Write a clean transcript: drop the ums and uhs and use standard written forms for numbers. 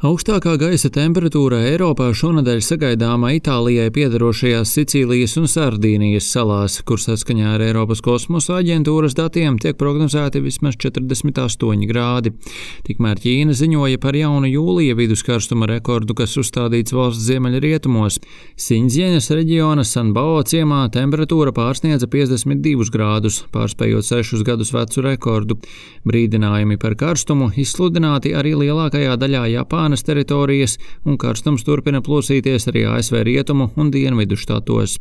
Augstākā gaisa temperatūra Eiropā šonedēļ sagaidāma Itālijai piederošajās Sicīlijas un Sardīnijas salās, kur saskaņā ar Eiropas kosmosa aģentūras datiem tiek prognozēti vismaz 48 grādi. Tikmēr Ķīna ziņoja par jaunu jūlija viduskarstuma rekordu, kas uzstādīts valsts ziemeļrietumos. Siņdzjeņas reģiona Sanbao ciemā temperatūra pārsniedza 52 grādus, pārspējot 6 gadus vecu rekordu. Brīdinājumi par karstumu izsludināti arī lielākajā daļā Japānas teritorijas, un karstums turpina plosīties arī ASV rietumu un dienvidu štatos.